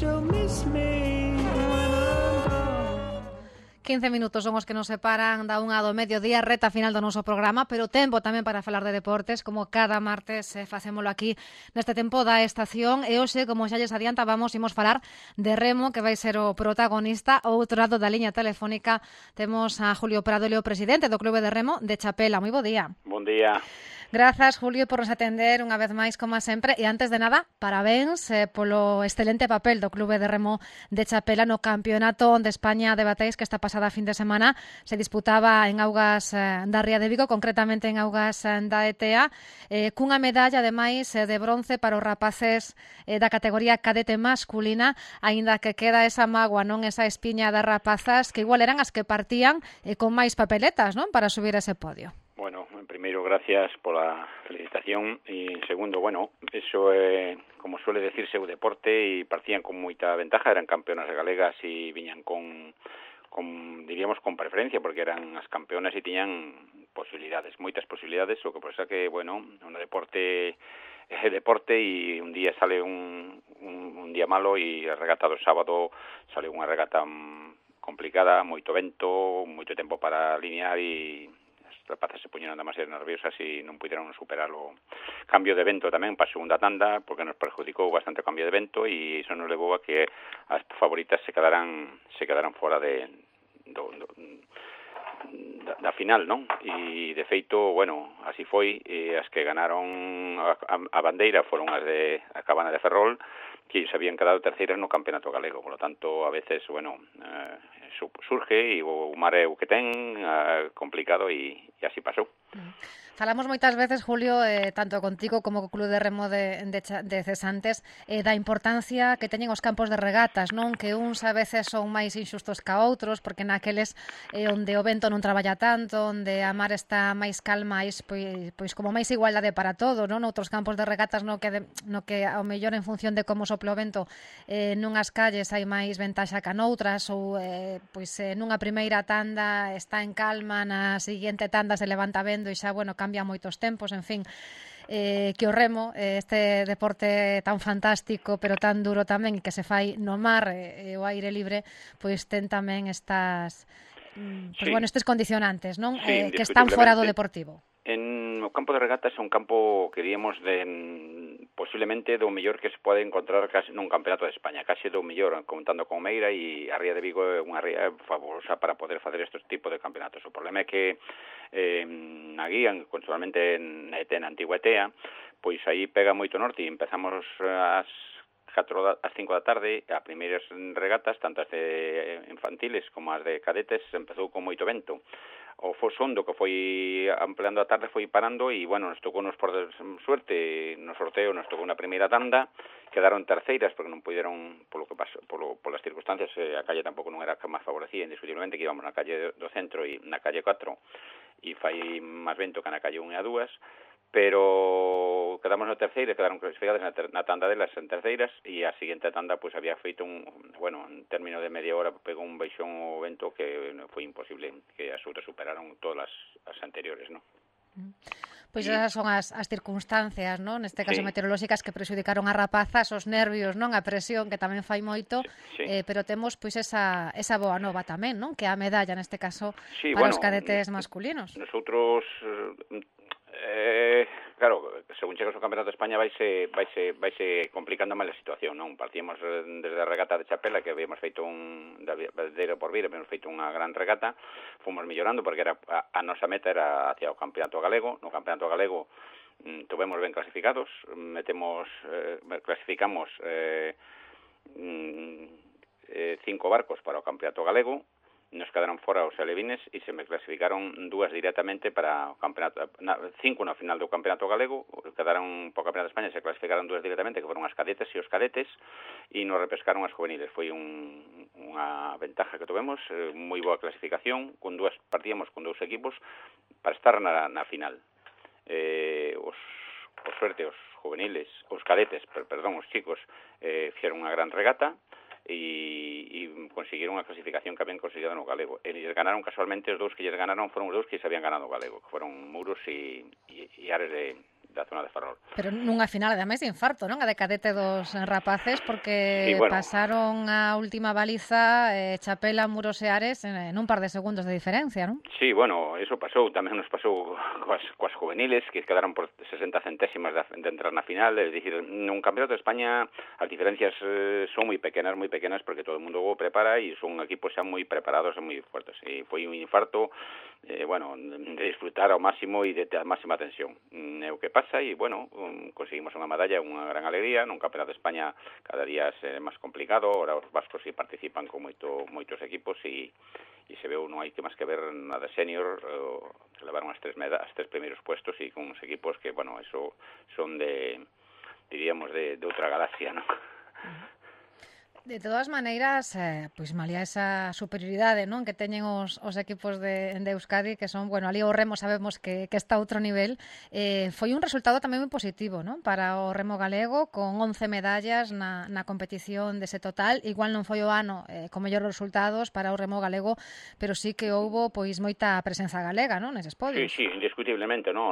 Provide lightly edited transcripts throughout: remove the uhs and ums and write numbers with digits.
you'll miss me when I'm gone. 15 minutos son os que nos separan da unha do mediodía, reta final do noso programa, pero tempo tamén para falar de deportes, como cada martes facémolo aquí neste tempo da estación. E hoxe, como xa lles adiantábamos, imos falar de remo, que vai ser o protagonista. Ao outro lado da liña telefónica temos a Julio Prado, o presidente do Clube de Remo de Chapela. Moi bo día. Bon día. Grazas, Julio, por nos atender unha vez máis, como sempre. E antes de nada, parabéns polo excelente papel do Clube de Remo de Chapela no Campeonato de España de Bateis, que esta pasada fin de semana se disputaba en augas da Ría de Vigo, concretamente en augas da ETA, cunha medalla, ademais, de bronce para os rapaces da categoría cadete masculina, aínda que queda esa mágoa, non, esa espiña das rapazas, que igual eran as que partían con máis papeletas, non, para subir ese podio. Bueno, en primeiro, gracias pola felicitación e en segundo, bueno, eso é, como suele decirse, o deporte e partían con moita ventaja, eran campeonas galegas e viñan con diríamos, con preferencia, porque eran as campeonas e tiñan posibilidades, moitas posibilidades, o que pasa que, bueno, un deporte é deporte e un día sale un día malo e a regata do sábado sale unha regata complicada, moito vento, moito tempo para alinear e as rapazas se poñeron demasiado nerviosas e non puderon superar o cambio de vento tamén para a segunda tanda, porque nos perjudicou bastante o cambio de vento e iso nos levou a que as favoritas se quedaran fora da final, non? E de feito, bueno, así foi, e as que ganaron a bandeira foron as de a Cabana de Ferrol, que se habían quedado terceiras no campeonato galego, por lo tanto, a veces, bueno, surge e o mar é o que ten, complicado e así pasou. Falamos moitas veces, Julio, tanto contigo como co Club de Remo de Cesantes, da importancia que teñen os campos de regatas, non? Que uns a veces son máis inxustos que outros, porque naqueles onde o vento non traballa tanto, onde a mar está máis calma, pois como máis igualdade para todo, non? Outros campos de regatas no que ao mellor en función de como sopla o vento nunhas calles hai máis ventaxa que noutras, ou pois nunha primeira tanda está en calma, na seguinte tanda se levanta vendo e xa, bueno, cambia moitos tempos, en fin, que o remo, este deporte tan fantástico pero tan duro tamén, que se fai no mar e o aire libre, pois ten tamén estas pois, bueno, estes condicionantes, non? Sí, que están fora do deportivo. En o campo de regatas é un campo que diríamos posiblemente do mellor que se pode encontrar case nun campeonato de España, case do mellor, contando con Meira, e a Ría de Vigo é unha ría fabulosa para poder facer estes tipos de campeonatos. O problema é que na guía, consolamente na antigua ETEA, pois aí pega moito norte e empezamos ás 5 da tarde, as primeiras regatas, tanto as de infantiles como as de cadetes, empezou con moito vento. O fosondo que foi ampliando a tarde foi parando e, bueno, nos tocou por suerte, no sorteo nos tocou na primeira tanda, quedaron terceiras porque non puderon, polo que pasó, polas circunstancias, a calle tampouco non era que máis favorecía, indiscutiblemente, que íbamos na calle do centro e na calle 4 e fai máis vento que na calle 1 e a 2, pero quedamos na terceira, quedaron clasificadas na tanda delas en terceiras e a seguinte tanda pois había feito en término de media hora pegou un baixón o vento que foi imposible, que as outras superaron todas as anteriores, non? Pois esas son as circunstancias, non? Neste caso meteorolóxicas que prexudicaron as rapazas, os nervios, non? A presión que tamén fai moito, pero temos pois esa boa nova tamén, non? Que a medalla neste caso para os cadetes masculinos. Nosotros claro, según chegas ao Campeonato de España vaise complicando máis a situación, non? Partíamos desde a regata de Chapela, que habíamos feito da Verdadeiro por Vir, habíamos feito unha gran regata, fomos mellorando porque era a nosa meta era hacia o Campeonato Galego. No Campeonato Galego tuvemos ben clasificados, clasificamos 5 barcos para o Campeonato Galego. Nos quedaron fora os alevines e se me clasificaron 2 directamente para o campeonato, 5 na final do campeonato galego, quedaron para o campeonato de España, se clasificaron 2 directamente, que foron as cadetes e os cadetes, e nos repescaron as juveniles. Foi unha ventaja que tuvemos, moi boa clasificación, partíamos con 2 equipos para estar na final. Por suerte, os juveniles, os cadetes, os chicos, fixeron unha gran regata, e conseguiron a clasificación que habían conseguido no galego. Eles ganaron casualmente, os 2 que lles ganaron foron os 2 que se habían ganado o galego, que foron Muros e Ares da zona de Ferrol. Pero nunha final, ademais, de infarto, non? A de cadete dos rapaces, porque Sí, bueno, pasaron a última baliza Chapela, Muros e Ares en un par de segundos de diferencia, non? sí, bueno, eso pasou, tamén nos pasou coas juveniles, que quedaron por 60 centésimas de entrar na final, é dicir, nun campeonato de España as diferencias son moi pequenas, porque todo o mundo o prepara e son equipos xa moi preparados e moi fuertes. E foi un infarto, bueno, de disfrutar ao máximo e de ter a máxima tensión. É o que pasa e, bueno, conseguimos unha medalla, unha gran alegría. Nun campeonato de España cada día é máis complicado, ahora os vascos sí participan con moitos equipos e se veu, non hai que máis que ver na de senior, se levaron as tres primeiros puestos e con uns equipos que, bueno, eso son diríamos, de outra galaxia, non? De todas maneiras, pois malia esa superioridade, non, que teñen os equipos de Euskadi, que son, bueno, ali o remo sabemos que está a outro nivel, foi un resultado tamén moi positivo, non, para o remo galego, con 11 medallas na competición dese total. Igual non foi o ano con mellores resultados para o remo galego, pero sí que houbo pois moita presenza galega, non, neses podios. Sí, indiscutiblemente, non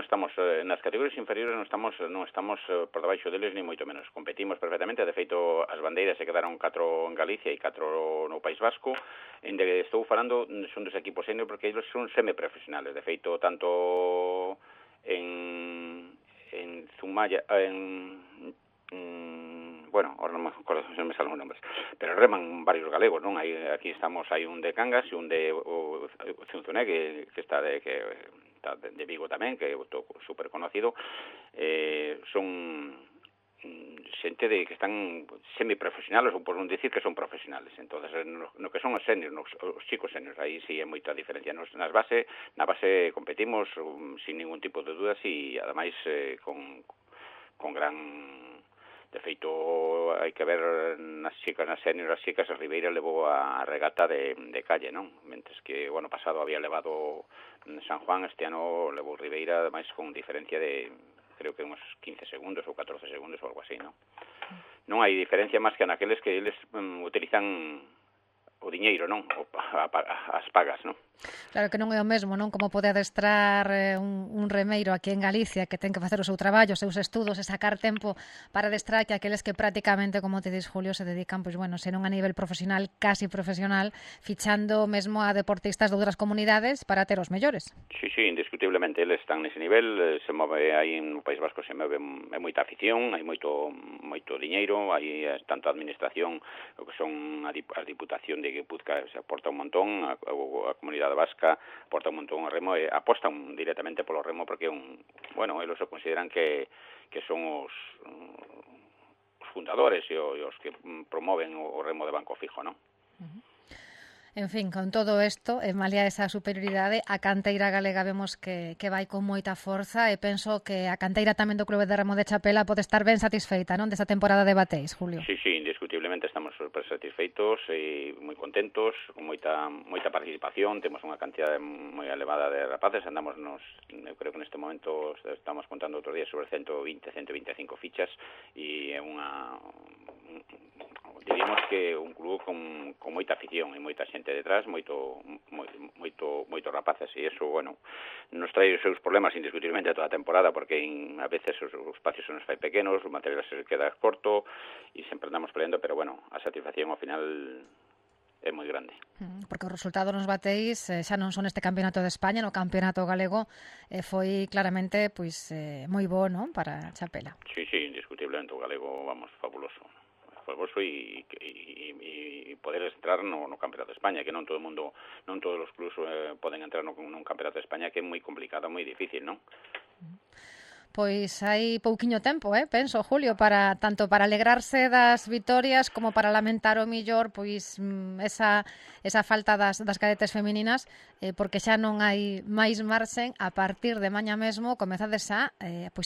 estamos nas categorías inferiores, non estamos por debaixo deles ni moito menos. Competimos perfectamente, de feito as bandeiras se quedaron 4 en Galicia e 4 no País Vasco. Estou falando son dos equipos senior porque eles son semiprofesionales. De feito, tanto en Zumaya, bueno, ahora non me acordo, non me salen os nombres, pero reman varios galegos, non? Aquí hai un de Cangas e un de Zunzuné, que está de Vigo tamén, que é super conocido. Son xente que están semiprofesionales, ou por non dicir que son profesionales. Entonces, no que son os seniors, os chicos seniors, aí sí é moita diferencia. Na base competimos sin ningún tipo de dudas e, ademais, con gran... De feito, hai que ver nas seniors, as chicas, a Ribeira levou a regata de calle, non? Mentres que o ano pasado había levado San Juan, este ano levou Ribeira, ademais con diferencia de... creo que uns 15 segundos ou 14 segundos ou algo así, non? Non hai diferencia máis que naqueles que eles utilizan o diñeiro, non? As pagas, non? Claro que non é o mesmo, non? Como pode adestrar un remeiro aquí en Galicia que ten que facer o seu traballo, os seus estudos e sacar tempo para adestrar, que aqueles que prácticamente, como te dis, Julio, se dedican, pois, bueno, senón a nivel profesional, casi profesional, fichando mesmo a deportistas de outras comunidades para ter os mellores. Sí, indiscutiblemente, eles están nese nivel, se move aí no País Vasco, se move moita afición, hai moito diñeiro, hai tanto a administración, o que son a Diputación de Guipúzcoa, se aporta un montón, a comunidade vasca aporta un montón ao remo e apostan directamente polo remo porque eles o consideran que son os fundadores e os que promoven o remo de banco fijo, non? En fin, con todo isto, malia esa superioridade, a canteira galega vemos que vai con moita forza e penso que a canteira tamén do Clube de Remo de Chapela pode estar ben satisfeita, non, desta temporada de bateis, Julio? Sí, indiscutiblemente estamos super satisfeitos e moi contentos, con moita participación, temos unha cantidade moi elevada de rapaces, eu creo que neste momento estamos contando outro día sobre 125 fichas e é diríamos que un club con moita afición e moita xente detrás, moito rapaces, e iso, bueno, nos trae os seus problemas indiscutiblemente toda a temporada, porque a veces os espacios se nos fai pequenos, o material se queda corto e sempre andamos peleando, pero bueno, a satisfacción ao final é moi grande. Porque os resultados nos bateis xa non son este campeonato de España, no campeonato galego foi claramente pois moi bo, non, para Chapela. Sí, indiscutiblemente o galego, vamos, fabuloso e poder entrar no campeonato de España, que non todos os clubs poden entrar nun campeonato de España, que é moi complicado, moi difícil, non? Pois hai pouquiño tempo, penso, Julio, tanto para alegrarse das vitorias como para lamentar o millor pois esa falta das cadetes femininas, porque xa non hai máis marxen. A partir de maña mesmo comezades a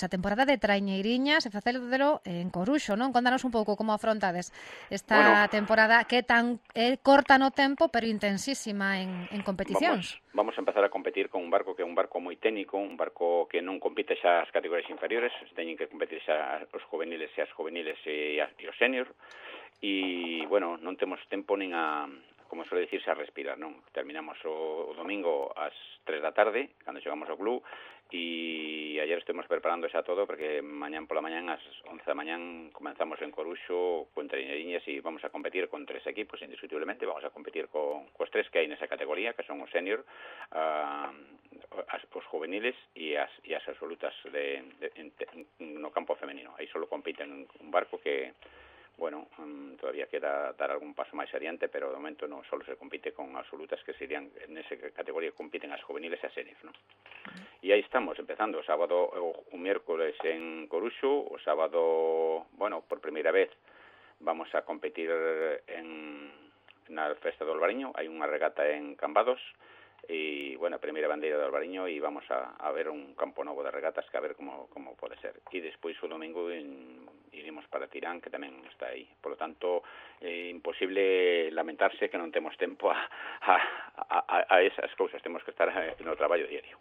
temporada de traiñeiriñas e facedelo en Coruxo, non? Contanos un pouco como afrontades esta temporada que tan corta no tempo, pero intensísima en competicións. Vamos a empezar a competir con un barco que é un barco moi técnico, un barco que non compite xa as categorías inferiores, teñen que competir xa os juveniles e os senior, e, bueno, non temos tempo nin a como suele dicirse, a respirar, non? Terminamos o domingo ás 3 da tarde, cando chegamos ao club, e ayer estuvimos preparando xa todo, porque mañán pola mañán, ás 11 da mañán, comenzamos en Coruxo con treinadiñas e vamos a competir con 3 equipos, indiscutiblemente, vamos a competir cos 3 que hai nesa categoría, que son os senior, os juveniles e as absolutas no campo femenino. Aí solo compiten un barco que, bueno, todavía queda dar algún paso máis adiante, pero de momento non solo se compite con absolutas, que serían, en esa categoría compiten as juveniles e as seniors, ¿no? E aí estamos, empezando o sábado, o miércoles en Coruxo, o sábado, bueno, por primeira vez vamos a competir na Festa do Albariño, hai unha regata en Cambados, e, bueno, a primeira bandeira do Albariño, e vamos a ver un campo novo de regatas, que a ver como pode ser. E despois o domingo iremos para Tirán, que tamén está aí. Por lo tanto, imposible lamentarse que non temos tempo a esas cousas, temos que estar no traballo diario.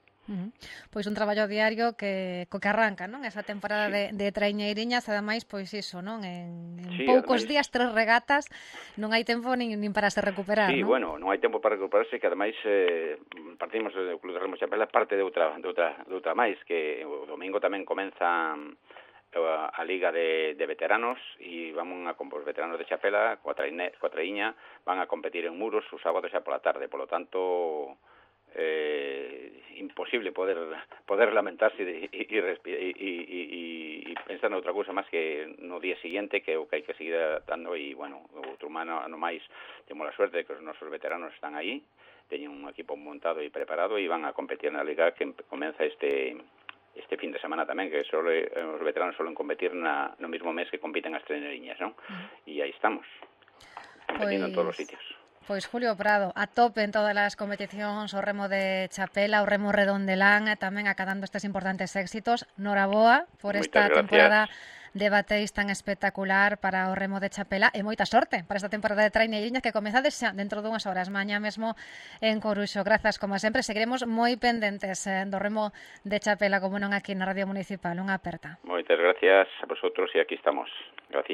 Pois un traballo diario que arranca, non? Esa temporada de traiñeiriñas, ademais, pois iso, non? En poucos días, 3 regatas, non hai tempo nin para se recuperar, non? Sí, bueno, non hai tempo para recuperarse, que ademais partimos do Club de Remo Chapela parte de outra máis, que o domingo tamén comeza a Liga de veteranos, e os veteranos de Chapela, coa traiña, van a competir en Muros o sábado xa pola tarde, polo tanto imposible poder lamentarse e pensar noutra cousa máis que no día siguiente, que é o que hai que seguir dando. E, bueno, outro ano máis temos a suerte de que os nosos veteranos están aí, teñen un equipo montado e preparado, e van a competir na Liga que comeza este fin de semana tamén, que os veteranos suelen competir no mismo mes que compiten as treinadiñas, non? E aí estamos, competindo en todos os sitios. Pois Julio Prado, a tope en todas as competicións, o remo de Chapela, o remo redondelán, tamén acadando estes importantes éxitos. Noraboa por esta temporada de bateis tan espectacular para o remo de Chapela, e moita sorte para esta temporada de traiñeiriñas que comezades xa dentro dunhas horas, mañá mesmo en Coruxo. Grazas, como sempre, seguiremos moi pendentes do remo de Chapela, como non aquí na Radio Municipal. Unha aperta. Moitas gracias a vosotros, e aquí estamos. Graciñas.